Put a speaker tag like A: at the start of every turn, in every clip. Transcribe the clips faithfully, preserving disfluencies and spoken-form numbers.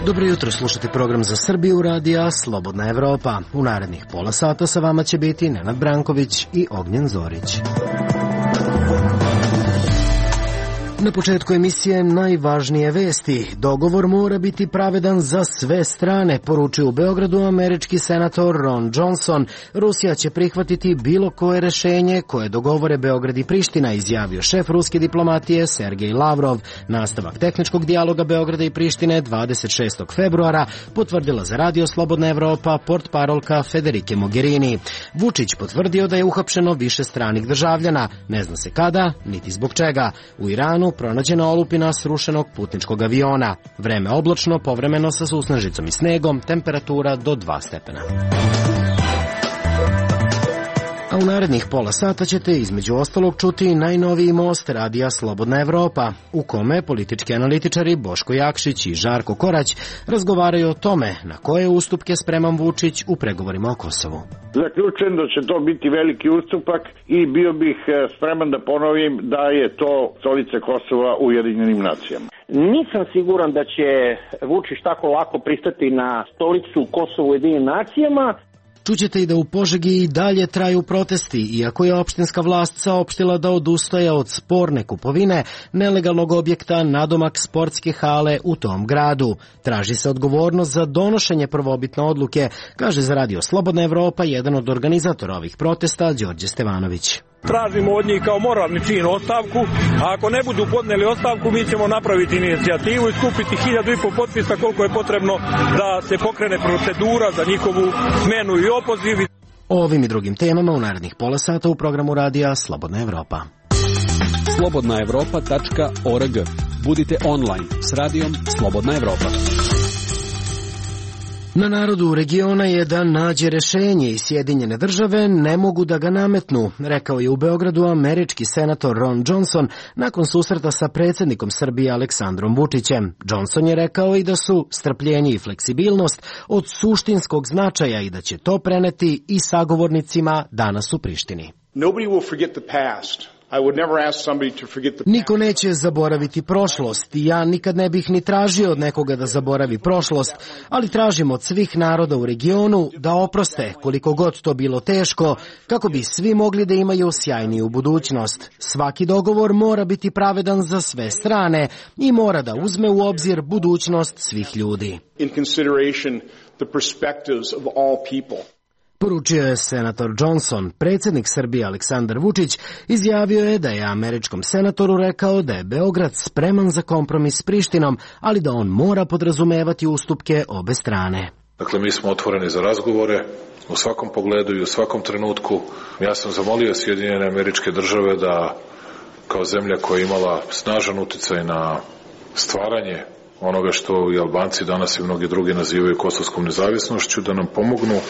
A: Dobro jutro, slušate program za Srbiju radija Slobodna Evropa. U narednih pola sata sa vama će biti Nenad Branković i Ognjen Zorić. Na početku emisije najvažnije vesti. Dogovor mora biti pravedan za sve strane, poručio u Beogradu američki senator Ron Johnson. Rusija će prihvatiti bilo koje rešenje koje dogovore Beograd i Priština, izjavio šef ruske diplomatije Sergej Lavrov. Nastavak tehničkog dijaloga Beograda i Prištine dvadeset šestog februara potvrdila za Radio Slobodna Evropa portparolka Federike Mogherini. Vučić potvrdio da je uhapšeno više stranih državljana. Ne zna se kada, niti zbog čega. U Iranu pronađena olupina srušenog putničkog aviona. Vreme oblačno, povremeno sa susnežicom i snegom, temperatura do dva stepena. A u narednih pola sata ćete između ostalog čuti najnoviji most radija Slobodna Evropa, u kome politički analitičari Boško Jakšić i Žarko Korać razgovaraju o tome na koje ustupke spreman Vučić u pregovorima o Kosovu.
B: Zaključujem da će to biti veliki ustupak i bio bih spreman da ponovim da je to stolica Kosova u Ujedinjenim nacijama.
C: Nisam siguran da će Vučić tako lako pristati na stolicu Kosova u Ujedinjenim nacijama.
A: Čućete i da u Požegi i dalje traju protesti, iako je opštinska vlast saopštila da odustaje od sporne kupovine nelegalnog objekta nadomak sportske hale u tom gradu. Traži se odgovornost za donošenje prvobitne odluke, kaže za Radio Slobodna Evropa jedan od organizatora ovih protesta, Đorđe Stevanović.
D: Tražimo od njih kao moralni čin ostavku, a ako ne budu podneli ostavku, mi ćemo napraviti inicijativu i skupiti hiljadu i po potpisa koliko je potrebno da se pokrene procedura za njihovu smenu i opoziv.
A: O ovim i drugim temama u narednih pola sata u programu radija Slobodna Evropa.
E: slobodna evropa tačka org. Budite online s radijom Slobodna Evropa.
A: Na narodu regiona je da nađe rešenje i Sjedinjene države ne mogu da ga nametnu, rekao je u Beogradu američki senator Ron Johnson nakon susreta sa predsjednikom Srbije Aleksandrom Vučićem. Johnson je rekao i da su strpljenje i fleksibilnost od suštinskog značaja i da će to preneti i sagovornicima danas u Prištini.
F: Nobody will forget the past.
A: Niko neće zaboraviti prošlost i ja nikad ne bih ni tražio od nekoga da zaboravi prošlost, ali tražim od svih naroda u regionu da oproste koliko god to bilo teško, kako bi svi mogli da imaju sjajniju budućnost. Svaki dogovor mora biti pravedan za sve strane i mora da uzme u obzir budućnost svih ljudi.
F: In consideration the perspectives of all people.
A: Poručio je senator Johnson. Predsjednik Srbije Aleksandar Vučić izjavio je da je američkom senatoru rekao da je Beograd spreman za kompromis s Prištinom, ali da on mora podrazumevati ustupke obe strane.
G: Dakle, mi smo otvoreni za razgovore u svakom pogledu i u svakom trenutku. Ja sam zamolio Sjedinjene Američke Države da, kao zemlja koja je imala snažan uticaj na stvaranje onoga što i Albanci danas i mnogi drugi nazivaju kosovskom nezavisnošću, da nam pomognu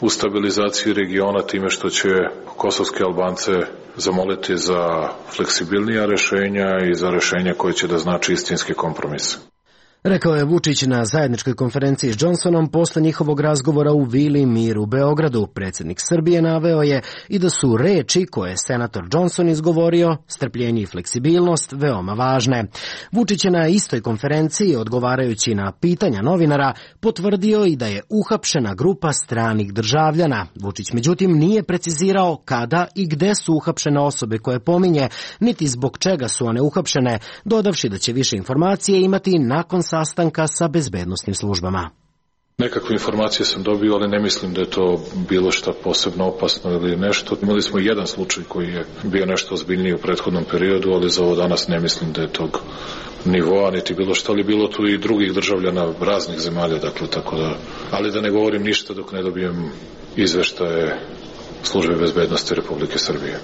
G: u stabilizaciji regiona time što će kosovske Albance zamoliti za fleksibilnija rešenja i za rešenja koje će da znači istinski kompromis.
A: Rekao je Vučić na zajedničkoj konferenciji s Johnsonom posle njihovog razgovora u Vili Mir u Beogradu. Predsjednik Srbije naveo je i da su reči koje je senator Johnson izgovorio, strpljenje i fleksibilnost, veoma važne. Vučić je na istoj konferenciji, odgovarajući na pitanja novinara, potvrdio i da je uhapšena grupa stranih državljana. Vučić međutim nije precizirao kada i gde su uhapšene osobe koje pominje, niti zbog čega su one uhapšene, dodavši da će više informacije imati nakon sastanka sa bezbednosnim službama.
G: Nekakve informacije sam dobio, ali ne mislim da je to bilo šta posebno opasno ili nešto. Imali smo jedan slučaj koji je bio nešto ozbiljniji u prethodnom periodu, ali za ovo danas ne mislim da je tog nivoa, niti bilo što, ali bilo tu i drugih državljana raznih zemalja, dakle, tako da, ali da ne govorim ništa dok ne dobijem izveštaje Službe bezbednosti Republike Srbije.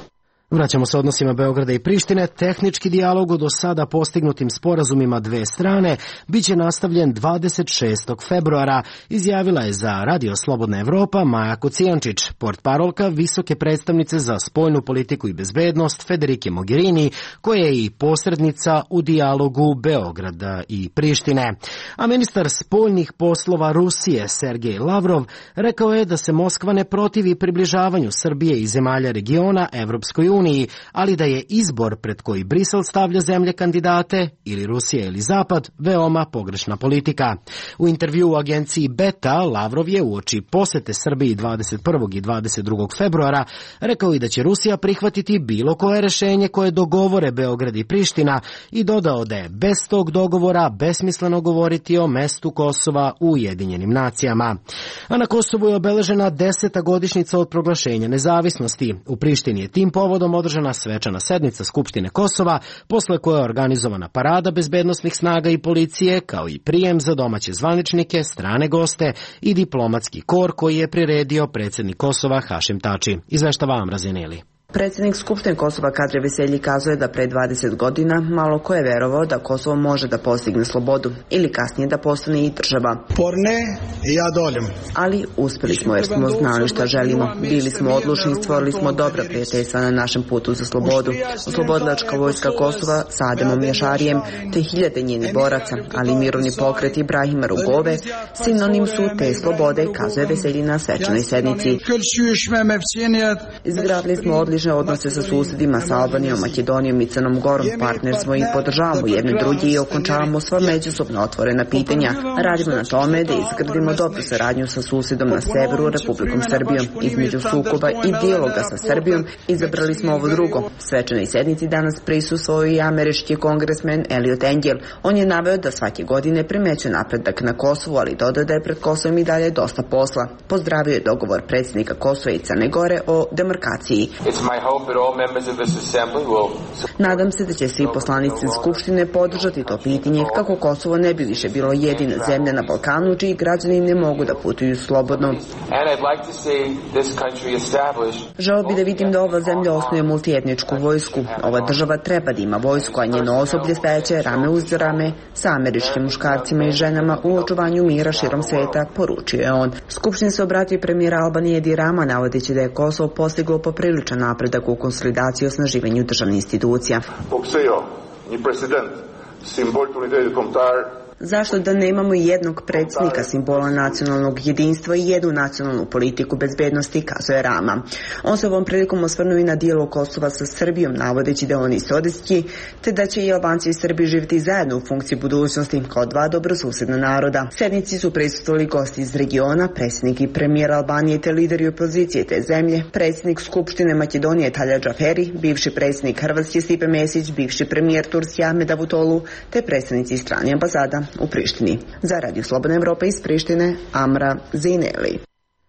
A: Vraćamo se odnosima Beograda i Prištine. Tehnički dijalog o do sada postignutim sporazumima dve strane biće nastavljen dvadeset šestog februara, izjavila je za Radio Slobodna Evropa Maja Kocijančić, portparolka visoke predstavnice za spoljnu politiku i bezbednost Federike Mogherini, koja je i posrednica u dijalogu Beograda i Prištine. A ministar spoljnih poslova Rusije Sergej Lavrov rekao je da se Moskva ne protivi približavanju Srbije i zemalja regiona Evropskoj uniji, uniji, ali da je izbor pred koji Brisel stavlja zemlje kandidate, ili Rusija ili Zapad, veoma pogrešna politika. U intervju u agenciji Beta, Lavrov je uoči posete Srbiji dvadeset prvog i dvadeset drugog februara rekao i da će Rusija prihvatiti bilo koje rešenje koje dogovore Beograd i Priština i dodao da je bez tog dogovora besmisleno govoriti o mestu Kosova u Ujedinjenim nacijama. A na Kosovu je obeležena deseta godišnjica od proglašenja nezavisnosti. U Prištini je tim povodom održana svečana sednica Skupštine Kosova, posle koje je organizovana parada bezbednosnih snaga i policije, kao i prijem za domaće zvaničnike, strane goste i diplomatski kor koji je priredio predsjednik Kosova Hašim Tači. Izveštava Amra Zeneli.
H: Predsjednik Skupštine Kosova Kadri Veselji kazuje da pre dvadeset godina malo ko je verovao da Kosovo može da postigne slobodu ili kasnije da postane i država.
I: Porne i ja doljem.
H: Ali uspeli smo jer smo znali šta želimo. Bili smo odlučni i stvorili smo dobra prijateljstva na našem putu za slobodu. Oslobodilačka vojska Kosova sa Ademom Jašarijem te hiljade njenih boraca, ali mirovni pokret Ibrahima Rugove sinonim su te slobode, kazuje Veselji na svečanoj sednici. Izgradili smo odlične odnose sa susedima, sa Albanijom, Makedonijom i Crnom Gorom, partner smo i podržavamo jedne drugi i okončavamo sva međusobno otvorena pitanja. Radimo na tome da izgradimo dobru saradnju sa susedom na severu, Republikom Srbijom. Između sukoba i dijaloga sa Srbijom izabrali smo ovo drugo. Svečanoj sednici danas prisustvovao i američki kongresmen Eliot Engel. On je naveo da svake godine primećuje napredak na Kosovu, ali dodao da je pred Kosovom i dalje dosta posla. Pozdravio je dogovor predsjednika Kosova i Crne Gore o demarkaciji. Nadam se da će svi poslanici Skupštine podržati to pitanje kako Kosovo ne bi više bilo jedina zemlja na Balkanu čiji građani ne mogu da putuju slobodno. Želeo bi da vidim da ova zemlja osnuje multietničku vojsku. Ova država treba da ima vojsku, a njeno osoblje stajeće rame uz rame sa američkim muškarcima i ženama u očuvanju mira širom sveta, poručio je on. Skupštini se obratio premijer Albanije Edi Rama, navodeći da je Kosovo postiglo popriličan napredak u konsolidaciji i osnaživanju državnih institucija. Zašto da nemamo jednog predsjednika, simbola nacionalnog jedinstva i jednu nacionalnu politiku bezbednosti, kazuje Rama. On se ovom prilikom osvrnuo i na dijalog Kosova sa Srbijom, navodeći da on istorijski, te da će i Albanci i Srbi živjeti zajedno u funkciji budućnosti kao dva dobrosusedna naroda. Sednici su prisustvovali gosti iz regiona, predsjednik i premijer Albanije te lideri opozicije te zemlje, predsjednik Skupštine Makedonije Talja Džaferi, bivši predsjednik Hrvatske Stipe Mesić, bivši premijer Turske Ahmed Davutoglu te predstavnici strane ambasada u Prištini. Za Radio Slobodna Evropa iz Prištine, Amra Zineli.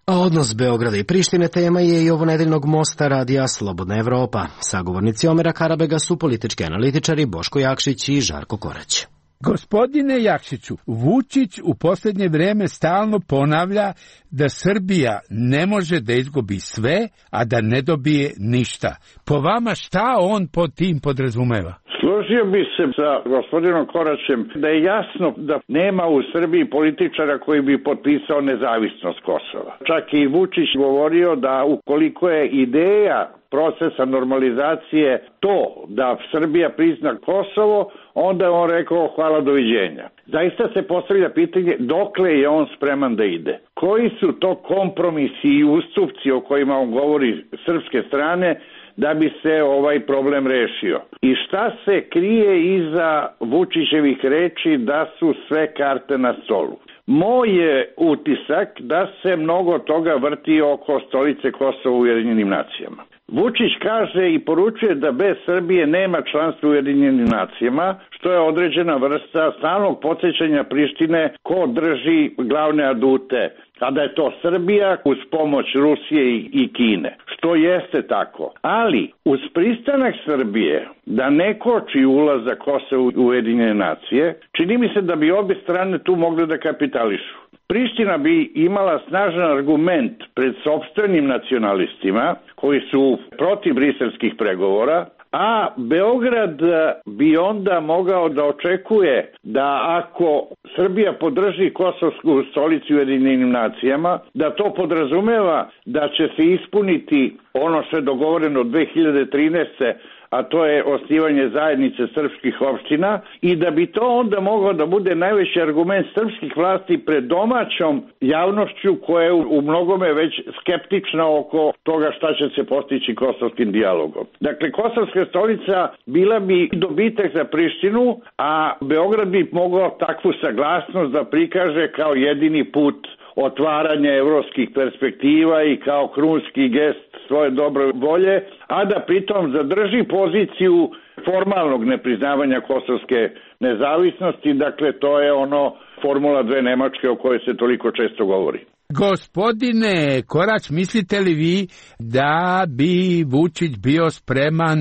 A: A odnos Beograda i Prištine tema je i ovonedeljnog mosta Radija Slobodna Evropa. Sagovornici Omera Karabega su politički analitičari Boško Jakšić i Žarko Korać.
J: Gospodine Jakšiću, Vučić u posljednje vrijeme stalno ponavlja da Srbija ne može da izgubi sve, a da ne dobije ništa. Po vama šta on pod tim podrazumeva?
B: Složio bi se sa gospodinom Koraćem da je jasno da nema u Srbiji političara koji bi potpisao nezavisnost Kosova. Čak i Vučić govorio da ukoliko je ideja procesa normalizacije to da Srbija prizna Kosovo, onda je on rekao hvala, doviđenja. Zaista se postavlja pitanje dokle je on spreman da ide. Koji su to kompromisi i ustupci o kojima on govori srpske strane da bi se ovaj problem rešio? I šta se krije iza Vučićevih reči da su sve karte na stolu? Moj je utisak da se mnogo toga vrti oko stolice Kosova u Ujedinjenim nacijama. Vučić kaže i poručuje da bez Srbije nema članstva u Ujedinjenim nacijama, što je određena vrsta stalnog podsjećanja Prištine ko drži glavne adute, a da je to Srbija uz pomoć Rusije i Kine, što jeste tako. Ali uz pristanak Srbije da ne koči ulazak Kosova u Ujedinjene nacije, čini mi se da bi obje strane tu mogle da kapitališu. Priština bi imala snažan argument pred sopstvenim nacionalistima koji su protiv briselskih pregovora, a Beograd bi onda mogao da očekuje da ako Srbija podrži kosovsku stolicu u Ujedinjenim nacijama, da to podrazumeva da će se ispuniti ono što je dogovoreno dve hiljade trinaeste. a to je osnivanje zajednice srpskih opština, i da bi to onda moglo da bude najveći argument srpskih vlasti pred domaćom javnošću koja je u mnogome već skeptična oko toga šta će se postići kosovskim dijalogom. Dakle, kosovska stolica bila bi dobitak za Prištinu, a Beograd bi mogao takvu saglasnost da prikaže kao jedini put otvaranja evropskih perspektiva i kao krunski gest svoje dobre volje, a da pritom zadrži poziciju formalnog nepriznavanja kosovske nezavisnosti. Dakle, to je ono formula dve Nemačke o kojoj se toliko često govori.
J: Gospodine Korać, mislite li vi da bi Vučić bio spreman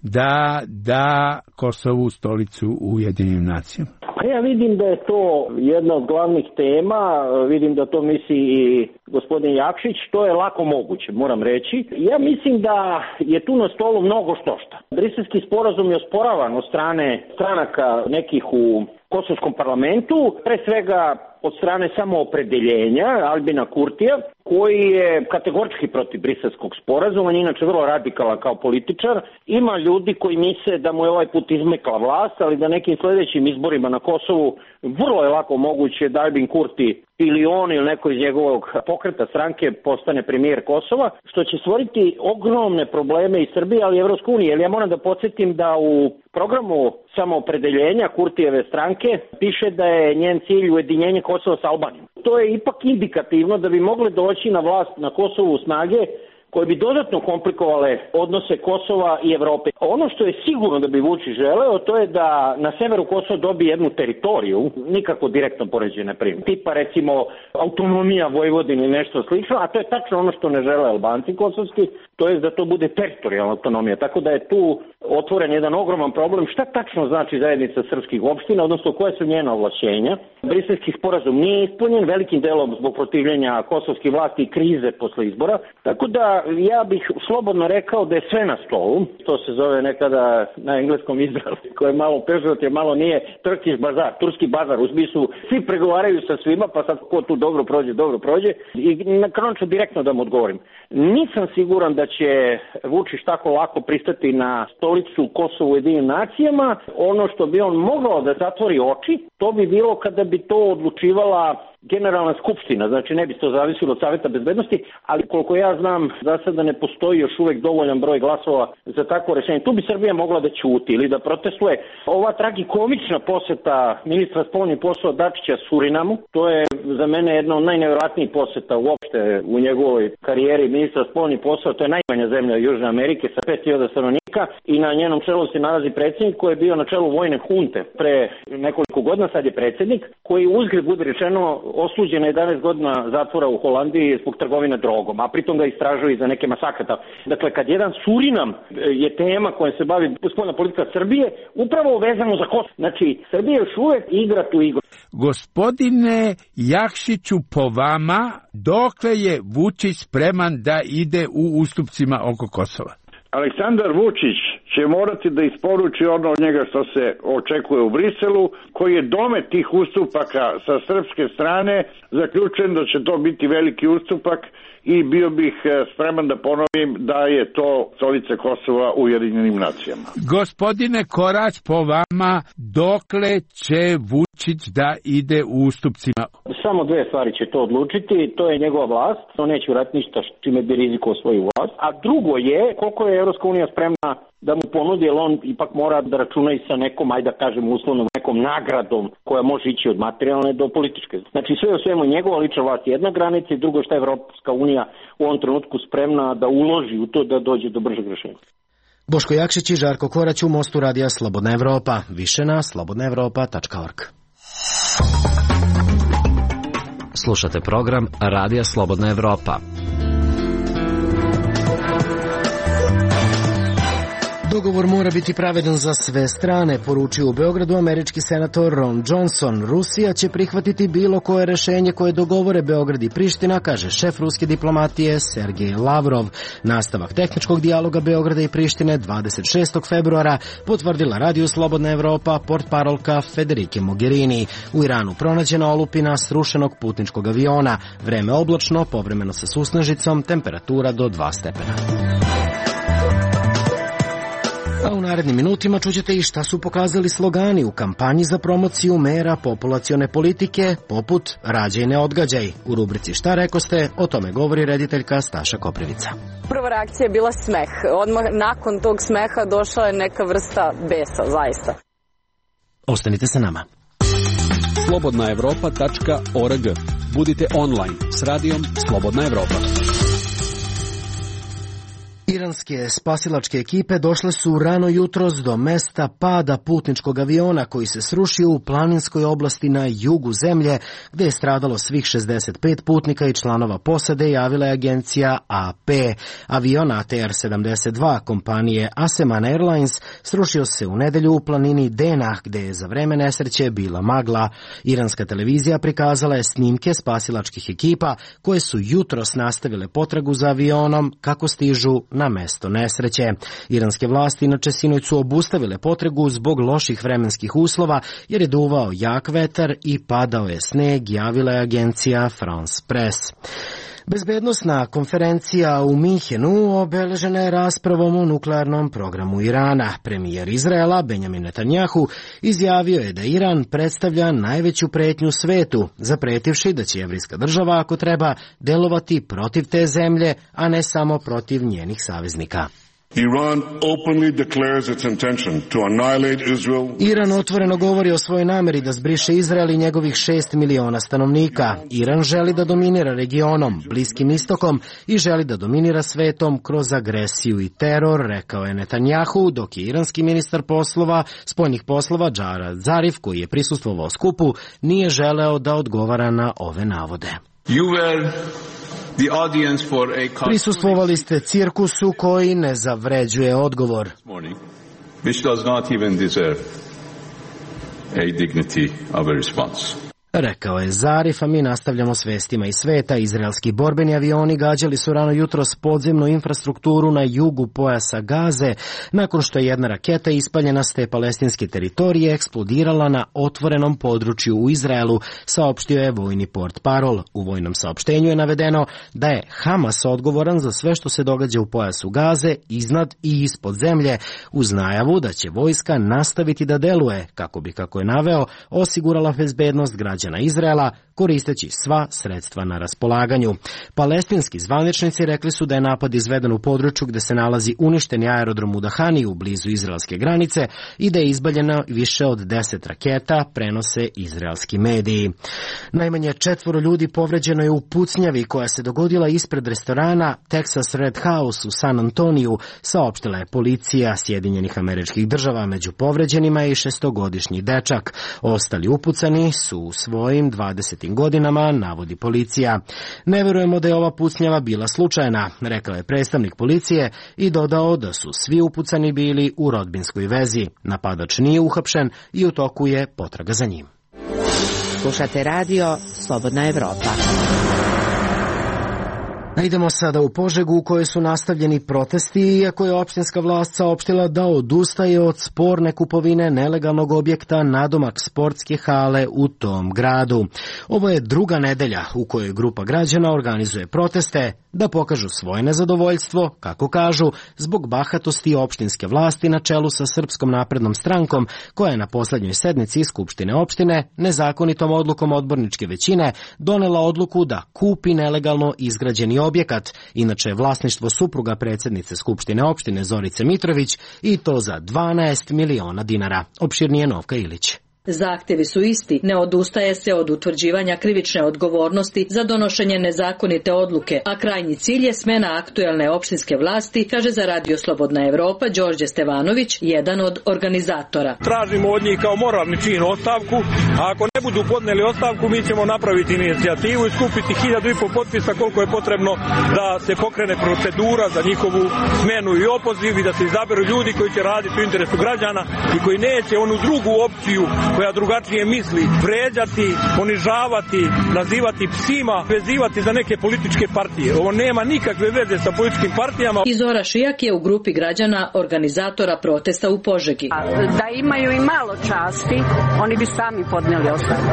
J: da da Kosovu stolicu u Ujedinjenim nacijama?
C: Pa ja vidim da je to jedna od glavnih tema, vidim da to misli i gospodin Jakšić, to je lako moguće, moram reći. Ja mislim da je tu na stolu mnogo štošta. Briselski sporazum je osporavan od strane stranaka nekih u kosovskom parlamentu, pre svega od strane samoopredeljenja Albina Kurtija, koji je kategorički protiv Briselskog sporazuma, on je inače vrlo radikalan kao političar. Ima ljudi koji misle da mu je ovaj put izmekla vlast, ali da nekim sledećim izborima na Kosovu vrlo je lako moguće da Albin Kurti ili on ili neko iz njegovog pokreta stranke postane premijer Kosova, što će stvoriti ogromne probleme i Srbije, ali i Evropske unije. Jer ja moram da podsjetim da u programu samoopredeljenja Kurtijeve stranke piše da je njen cilj ujedinjenje Kosova sa Albanijom. To je ipak indikativno da bi mogle doći na vlast na Kosovu snage koje bi dodatno komplikovale odnose Kosova i Evrope. Ono što je sigurno da bi Vučić želeo, to je da na severu Kosova dobije jednu teritoriju, nikako direktno poređene primjer. Tipa recimo autonomija Vojvodine ili nešto slično, a to je tačno ono što ne žele Albanci kosovski, to je da to bude teritorijalna autonomija. Tako da je tu otvoren jedan ogroman problem. Šta tačno znači zajednica srpskih opština, odnosno koje su njena ovlašćenja? Briselski sporazum nije ispunjen velikim delom zbog protivljenja kosovskih vlasti i krize posle izbora. Tako da ja bih slobodno rekao da je sve na stolu. To se zove nekada na engleskom izrazu, koje je malo pežorativno, malo nije Turkish bazar, turski bazar, u smislu svi pregovaraju sa svima, pa sad ko tu dobro prođe, dobro prođe. I na kraju ću direktno da mu odgovorim. Nisam siguran da će Vučić tako lako pristati na stolicu Kosova u Ujedinjenim nacijama. Ono što bi on mogao da zatvori oči, to bi bilo kada bi to odlučivala Generalna skupština, znači ne bi to zavisilo od Saveta bezbednosti, ali koliko ja znam, za sada ne postoji još uvek dovoljan broj glasova za takvo rešenje. Tu bi Srbija mogla da ćuti ili da protestuje. Ova tragikomična poseta ministra spoljnih poslova Dačića Surinamu, to je za mene jedna od najnevjerojatnijih poseta uopšte u njegovoj karijeri ministra spoljnih poslova. To je najmanja zemlja Južne Amerike sa pet hiljada stanovnika i na njenom čelu se nalazi predsjednik koji je bio na čelu vojne hunte pre nekoliko godina, sad je predsjednik, koji uzgred bude rečeno osuđen na jedanaest godina zatvora u Holandiji zbog trgovine drogom, a pritom ga istražuju i za neke masakata. Dakle, kad jedan Surinam je tema kojom se bavi spoljna politika Srbije, upravo vezano za Kosovo. Znači, Srbija još uvek igra tu igru.
J: Gospodine Jakšiću, po vama, dokle je Vučić spreman da ide u ustupcima oko Kosova?
B: Aleksandar Vučić će morati da isporuči ono od njega što se očekuje u Briselu, koji je domet tih ustupaka sa srpske strane. Zaključujem da će to biti veliki ustupak i bio bih spreman da ponovim da je to stolica Kosova u Ujedinjenim nacijama.
J: Gospodine Korać, po vama, dokle će Vučić da ide u ustupcima?
C: Samo dve stvari će to odlučiti, to je njegova vlast, on neće uraditi ništa čime bi rizikovao svoju vlast, a drugo je koliko je Evropska unija spremna da mu ponudi, jer on ipak mora da računa i sa nekom, ajde da kažem uslovno, nekom nagradom koja može ići od materijalne do političke. Znači sve u svemu njegova lična vlast je jedna granica i drugo što je Evropska unija u ovom trenutku spremna da uloži u to da dođe do bržeg rešenja.
A: Boško Jakšić i Žarko Korać u Mostu radija Slobodna Evropa. Više na slobodna evropa tačka org.
K: Slušate program Radija Slobodna Evropa.
A: Dogovor mora biti pravedan za sve strane, poručio u Beogradu američki senator Ron Johnson. Rusija će prihvatiti bilo koje rešenje koje dogovore Beograd i Priština, kaže šef ruske diplomatije Sergej Lavrov. Nastavak tehničkog dijaloga Beograda i Prištine dvadeset šestog februara potvrdila Radio Slobodna Evropa portparolka Federike Mogherini. U Iranu pronađena olupina srušenog putničkog aviona. Vreme oblačno, povremeno sa susnežicom, temperatura do dva stepena. A u narednim minutima čućete i šta su pokazali slogani u kampanji za promociju mera populacione politike, poput Rađaj ne odgađaj. U rubrici Šta rekoste, o tome govori rediteljka Staša Koprivica.
L: Prva reakcija je bila smeh. Odmah nakon tog smeha došla je neka vrsta besa, zaista.
A: Ostanite sa nama.
E: slobodna evropa tačka org. Budite online s radijom Slobodna Evropa.
A: Iranske spasilačke ekipe došle su rano jutros do mesta pada putničkog aviona koji se srušio u planinskoj oblasti na jugu zemlje, gde je stradalo svih šezdeset pet putnika i članova posade, javila je agencija A P. Avion A T R sedamdeset dva kompanije Aseman Airlines srušio se u nedelju u planini Dena, gde je za vreme nesreće bila magla. Iranska televizija prikazala je snimke spasilačkih ekipa koje su jutros nastavile potragu za avionom kako stižu na mesto nesreće. Iranske vlasti inače sinoć su obustavile potragu zbog loših vremenskih uslova jer je duvao jak vetar i padao je sneg, javila je agencija France Press. Bezbednosna konferencija u Minhenu obeležena je raspravom o nuklearnom programu Irana. Premijer Izraela Benjamin Netanjahu izjavio je da Iran predstavlja najveću pretnju svetu, zapretivši da će jevrijska država, ako treba, delovati protiv te zemlje, a ne samo protiv njenih saveznika.
M: Iran openly declares its intention to annihilate Israel.
A: Iran otvoreno govori o svojoj nameri da zbriše Izrael i njegovih šest miliona stanovnika. Iran želi da dominira regionom, Bliskim istokom i želi da dominira svetom kroz agresiju i teror, rekao je Netanjahu, dok je iranski ministar poslova, spoljnih poslova Džarad Zarif, koji je prisustvovao skupu, nije želeo da odgovara na ove navode.
N: You were the audience for a
A: Prisustvovali ste cirkusu koji ne zavređuje odgovor.
N: Which does not even deserve a dignity of a response.
A: Rekao je Zarif, a mi nastavljamo s vestima iz sveta. Izraelski borbeni avioni gađali su rano jutros podzemnu infrastrukturu na jugu pojasa Gaze, nakon što je jedna raketa ispaljena s te palestinske teritorije eksplodirala na otvorenom području u Izraelu, saopštio je vojni portparol. U vojnom saopštenju je navedeno da je Hamas odgovoran za sve što se događa u pojasu Gaze, iznad i ispod zemlje, uz najavu da će vojska nastaviti da deluje, kako bi, kako je naveo, osigurala bezbednost građana Izraela, koristeći sva sredstva na raspolaganju. Palestinski zvaničnici rekli su da je napad izveden u području gde se nalazi uništeni aerodrom u Dahaniju blizu izraelske granice i da je izbaljeno više od deset raketa, prenose izraelski mediji. Najmanje četvoro ljudi povređeno je u pucnjavi koja se dogodila ispred restorana Texas Red House u San Antoniju, saopštila je policija Sjedinjenih Američkih Država. Među povređenima je i šestogodišnji dečak. Ostali upucani su u svojim dvadesetim godinama, navodi policija. Ne verujemo da je ova pucnjava bila slučajna, rekao je predstavnik policije i dodao da su svi upucani bili u rodbinskoj vezi. Napadač nije uhapšen i u toku je potraga za njim.
O: Slušate radio Slobodna Evropa.
A: Idemo sada u Požegu u kojoj su nastavljeni protesti, iako je opštinska vlast saopštila da odustaje od sporne kupovine nelegalnog objekta nadomak sportske hale u tom gradu. Ovo je druga nedelja u kojoj grupa građana organizuje proteste da pokažu svoje nezadovoljstvo, kako kažu, zbog bahatosti opštinske vlasti na čelu sa Srpskom naprednom strankom, koja je na poslednjoj sednici Skupštine opštine nezakonitom odlukom odborničke većine donela odluku da kupi nelegalno izgrađeni objekat, inače vlasništvo supruga predsjednice Skupštine opštine Zorice Mitrović, i to za dvanaest miliona dinara. Opširnije Novka Ilić.
P: Zahtjevi su isti, ne odustaje se od utvrđivanja krivične odgovornosti za donošenje nezakonite odluke, a krajnji cilj je smena aktuelne opštinske vlasti, kaže za Radio Slobodna Evropa Đorđe Stevanović, jedan od organizatora.
D: Tražimo od njih kao moralni čin ostavku, a ako ne budu podneli ostavku, mi ćemo napraviti inicijativu i skupiti hiljadu i pol potpisa koliko je potrebno da se pokrene procedura za njihovu smenu i opoziv i da se izaberu ljudi koji će raditi u interesu građana i koji neće onu drugu opciju koja drugačije misli vređati, ponižavati, nazivati psima, vezivati za neke političke partije. Ovo nema nikakve veze sa političkim partijama.
P: Izora Šijak je u grupi građana organizatora protesta u Požegi.
Q: Da imaju i malo časti, oni bi sami podneli ostavku.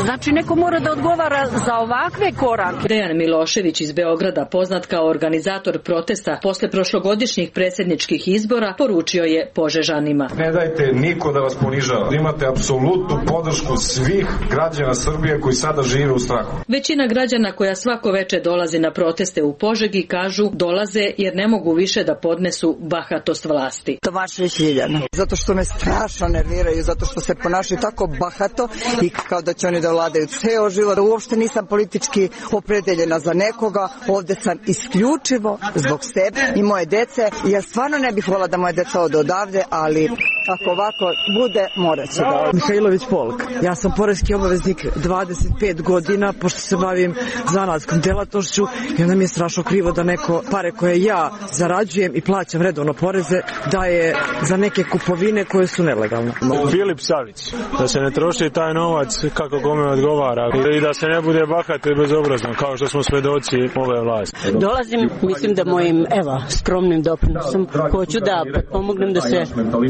Q: Znači neko mora da odgovara za ovakve korake.
P: Dejan Milošević iz Beograda, poznat kao organizator protesta posle prošlogodišnjih predsjedničkih izbora, poručio je Požežanima.
R: Ne dajte niko da vas ponižava. Imate apsolutnu podršku svih građana Srbije koji sada žive u strahu.
P: Većina građana koja svako veče dolazi na proteste u Požegi kažu dolaze jer ne mogu više da podnesu bahatost vlasti.
S: Tomašević Ljiljana. Zato što me strašno nerviraju, zato što se ponašaju tako bahato i kao da će oni da vladaju ceo život. Uopšte nisam politički opredeljena za nekoga, ovde sam isključivo zbog sebe i moje dece. Ja stvarno ne bih volila da moje deca ode odavde, ali ako ovako bude, morat će da.
T: Mihajlović Polk. Ja sam poreski obaveznik dvadeset pet godina, pošto se bavim zanatskom delatnošću i onda mi je strašno krivo da neko pare koje ja zarađujem i plaćam redovno poreze daje za neke kupovine koje su nelegalne.
U: Filip Savić, da se ne troši taj novac kako kome odgovara i da se ne bude bahato i bezobrazno kao što smo svedoci ove vlasti.
V: Dolazim, mislim da mojim, evo, skromnim doprinosom hoću da pomognem da se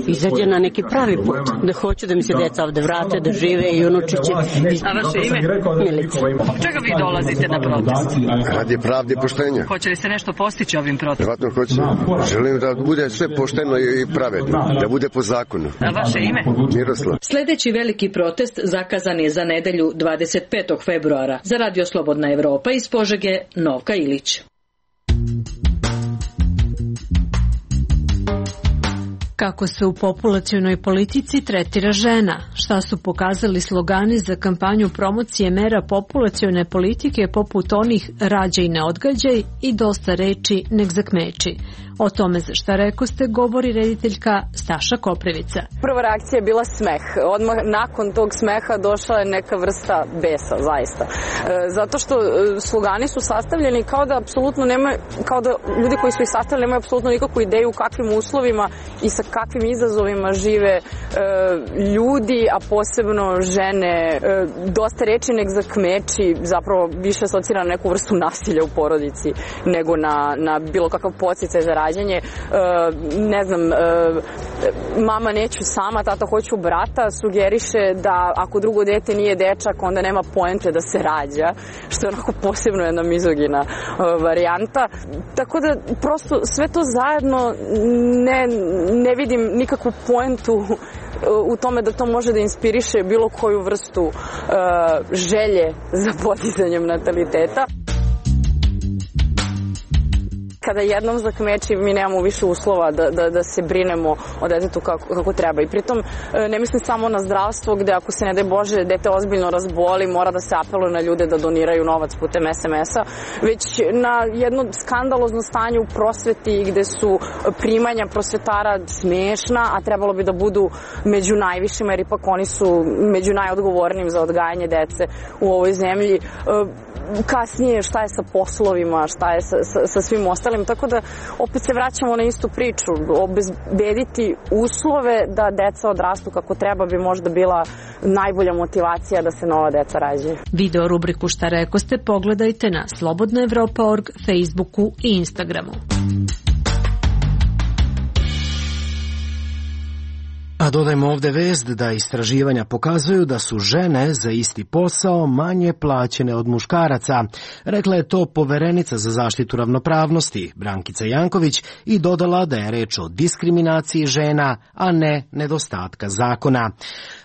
V: izađe na neki pravi put, da hoću da mi se deca ovde vrate, da žive i unučiće.
P: A vaše ime?
V: Milica.
P: Čega vi dolazite na protest?
W: Radi pravde i poštenja.
P: Hoće li se nešto postići ovim protestom?
W: Vjerojatno hoće. Želim da bude sve pošteno i pravedno, da bude po zakonu.
P: A vaše ime?
W: Miroslav.
P: Sljedeći veliki protest zakazan je za nedelju dvadeset petog februara. Za Radio Slobodna Evropa iz Požege, Novka Ilić.
X: Kako se u populacionoj politici tretira žena? Šta su pokazali slogani za kampanju promocije mera populacione politike poput onih rađaj ne odgađaj i dosta reči nek zakmeči? O tome za šta rekoste govori rediteljka Staša Koprivica.
L: Prva reakcija je bila smeh. Odmah nakon tog smeha došla je neka vrsta besa, zaista. E, zato što slogani su sastavljeni kao da apsolutno nema, kao da ljudi koji su ih sastavili nemaju apsolutno nikakvu ideju u kakvim uslovima i sa kakvim izazovima žive e, ljudi, a posebno žene. E, dosta reči nek zakmeči zapravo više asocira na neku vrstu nasilja u porodici nego na, na bilo kakav podsticaj za rađanje. E, ne znam, e, mama neću sama, tata hoću brata, sugeriše da ako drugo dete nije dečak, onda nema poente da se rađa, što je onako posebno jedna mizogina e, varijanta. Tako da prosto sve to zajedno ne, ne vidim nikakvu poentu u tome da to može da inspiriše bilo koju vrstu e, želje za podizanjem nataliteta. Kada jednom zakmeči, mi nemamo više uslova da, da, da se brinemo o detetu kako, kako treba. I pritom ne mislim samo na zdravstvo, gde ako se ne daj Bože dete ozbiljno razboli, mora da se apeluje na ljude da doniraju novac putem es em es-a, već na jedno skandalozno stanje u prosveti gde su primanja prosvetara smešna, a trebalo bi da budu među najvišima, jer ipak oni su među najodgovornijim za odgajanje dece u ovoj zemlji. Kasnije šta je sa poslovima, šta je sa, sa, sa svim ostalim, tako da opet se vraćamo na istu priču. Obezbediti uslove da deca odrastu kako treba bi možda bila najbolja motivacija da se nova deca rađaju.
X: Video rubriku Šta rekoste pogledajte na slobodna evropa tačka org, Facebooku i Instagramu.
A: A dodajmo ovde vest da istraživanja pokazuju da su žene za isti posao manje plaćene od muškaraca. Rekla je to poverenica za zaštitu ravnopravnosti Brankica Janković i dodala da je reč o diskriminaciji žena, a ne nedostatka zakona.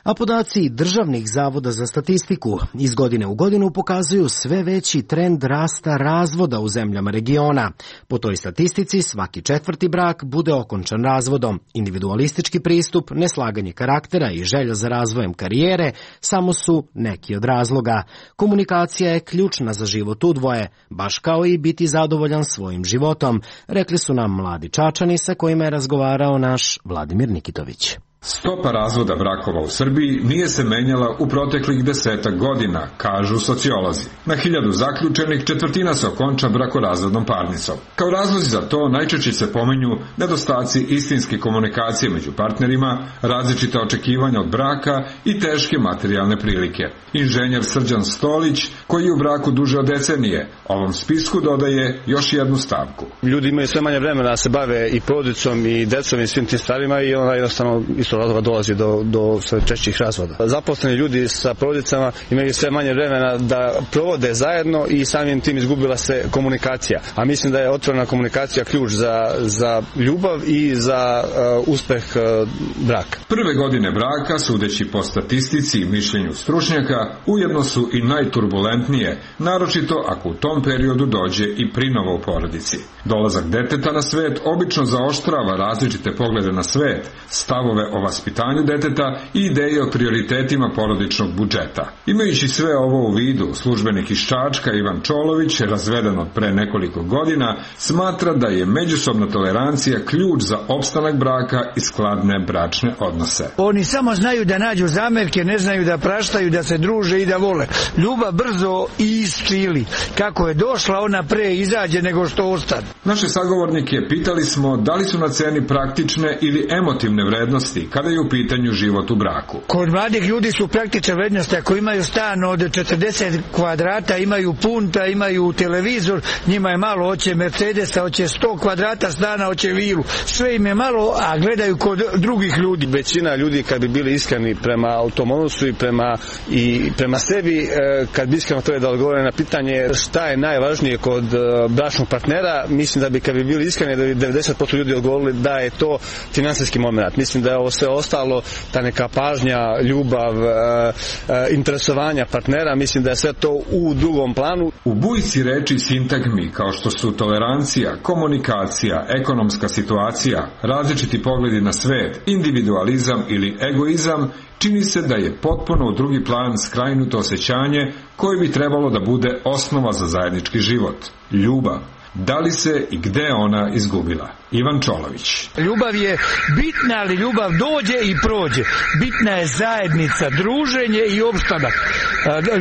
A: A podaci državnih zavoda za statistiku iz godine u godinu pokazuju sve veći trend rasta razvoda u zemljama regiona. Po toj statistici svaki četvrti brak bude okončan razvodom. Individualistički pristup, neslaganje karaktera i želja za razvojem karijere samo su neki od razloga. Komunikacija je ključna za život u dvoje, baš kao i biti zadovoljan svojim životom, rekli su nam mladi Čačani sa kojima je razgovarao naš Vladimir Nikitović.
F: Stopa razvoda brakova u Srbiji nije se menjala u proteklih desetak godina, kažu sociolozi. Na hiljadu zaključenih četvrtina se okonča brakorazvodnom parnicom. Kao razlozi za to najčešće se pominju nedostaci istinske komunikacije među partnerima, različita očekivanja od braka i teške materijalne prilike. Inženjer Srđan Stolić, koji je u braku duže od decenije, ovom spisku dodaje još jednu stavku.
G: Ljudi imaju sve manje vremena da se bave i porodicom i decom i svim tim stvarima i onda jednostavno isto razloga dolazi do, do sve češćih razvoda. Zaposleni ljudi sa porodicama imaju sve manje vremena da provode zajedno i samim tim izgubila se komunikacija. A mislim da je otvorena komunikacija ključ za, za ljubav i za uh, uspeh uh, braka.
F: Prve godine braka, sudeći po statistici i mišljenju stručnjaka, ujedno su i najturbulentnije, naročito ako u tom periodu dođe i prinova u porodici. Dolazak deteta na svet obično zaoštrava različite poglede na svet, stavove o vaspitanju deteta i ideje o prioritetima porodičnog budžeta. Imajući sve ovo u vidu, službenik iz Čačka Ivan Čolović, razveden od pre nekoliko godina, smatra da je međusobna tolerancija ključ za opstanak braka i skladne bračne odnose.
H: Oni samo znaju da nađu zamerke, ne znaju da praštaju, da se druže i da vole. Ljubav brzo isčili. Kako je došla, ona pre izađe nego što ostane.
F: Naše sagovornike pitali smo da li su na ceni praktične ili emotivne vrednosti kada je u pitanju život u braku.
H: Kod mladih ljudi su praktične vrednosti. Ako imaju stan od četrdeset kvadrata, imaju punta, imaju televizor, njima je malo, hoće Mercedesa, hoće sto kvadrata stana, hoće vilu. Sve im je malo, a gledaju kod drugih ljudi.
G: Većina ljudi kad bi bili iskreni prema tom odnosu i prema, i prema sebi, kad bi iskreno to je da odgovore na pitanje šta je najvažnije kod bračnog partnera, mislim da bi kad bi bili iskreni da bi devedeset posto ljudi odgovorili da je to finansijski moment. Mislim da je ovo sve ostalo, ta neka pažnja, ljubav, e, e, interesovanja partnera, mislim da je sve to u drugom planu.
F: U bujici reči sintagmi kao što su tolerancija, komunikacija, ekonomska situacija, različiti pogledi na svet, individualizam ili egoizam, čini se da je potpuno u drugi plan skrajnuto osjećanje koje bi trebalo da bude osnova za zajednički život. Ljubav. Da li se i gde ona izgubila? Ivan Čolović.
H: Ljubav je bitna, ali ljubav dođe i prođe. Bitna je zajednica, druženje i opstanak.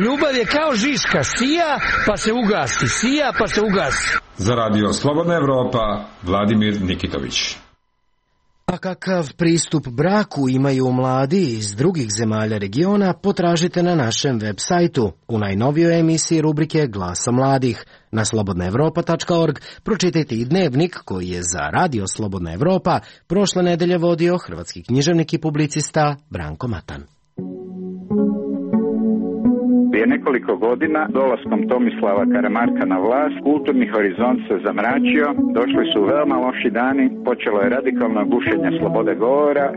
H: Ljubav je kao žiska, sija pa se ugasi, sija pa se ugasi.
F: Za Radio Slobodna Evropa, Vladimir Nikitović.
A: A kakav pristup braku imaju mladi iz drugih zemalja regiona, potražite na našem web sajtu u najnovijoj emisiji rubrike Glasa mladih. Na slobodna evropa tačka org pročitajte i dnevnik koji je za Radio Slobodna Evropa prošle nedelje vodio hrvatski književnik i publicista Branko Matan.
I: Prije nekoliko godina, dolaskom Tomislava Karamarka na vlast, kulturni horizont se zamračio, došli su veoma loši dani, počelo je radikalno gušenje slobode govora.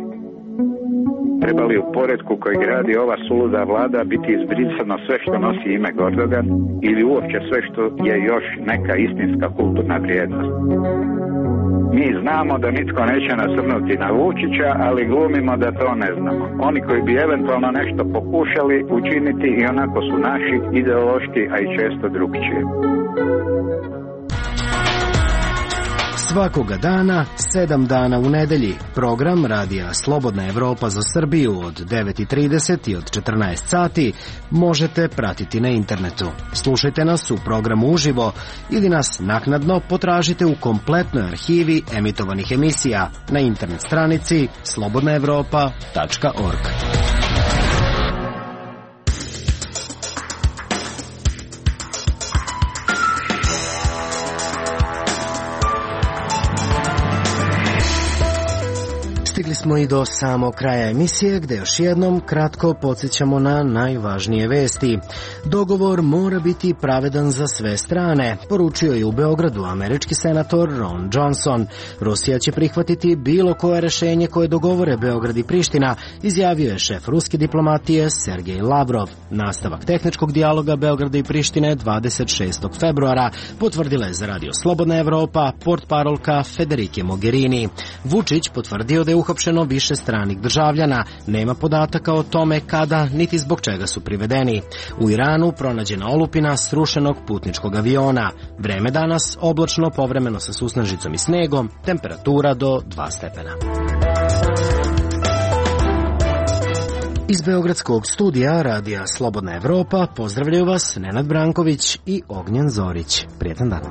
I: Treba li u poretku koji gradi ova suluda vlada biti izbrisano sve što nosi ime Gordogan ili uopće sve što je još neka istinska kulturna vrijednost? Mi znamo da nitko neće nasrnuti na Vučića, ali glumimo da to ne znamo. Oni koji bi eventualno nešto pokušali učiniti i onako su naši, ideološki, a i često drugčije.
A: Svakoga dana, sedam dana u nedelji, program Radija Slobodna Evropa za Srbiju od devet i trideset i od četrnaest sati možete pratiti na internetu. Slušajte nas u programu uživo ili nas naknadno potražite u kompletnoj arhivi emitovanih emisija na internet stranici slobodna evropa tačka org. Stigli smo i do samog kraja emisije gde još jednom kratko podsjećamo na najvažnije vesti. Dogovor mora biti pravedan za sve strane, poručio je u Beogradu američki senator Ron Johnson. Rusija će prihvatiti bilo koje rešenje koje dogovore Beograd i Priština, izjavio je šef ruske diplomatije Sergej Lavrov. Nastavak tehničkog dijaloga Beograda i Prištine dvadeset šestog februara potvrdila je za Radio Slobodna Evropa portparolka Federike Mogherini. Vučić potvrdio da je uhapšeno više stranih državljana. Nema podataka o tome kada niti zbog čega su privedeni. U Iranu pronađena olupina srušenog putničkog aviona. Vreme danas oblačno, povremeno sa susnežicom i snegom, temperatura do dva stepena. Iz Beogradskog studija Radija Slobodna Evropa pozdravljaju vas Nenad Branković i Ognjen Zorić. Prijetan dan.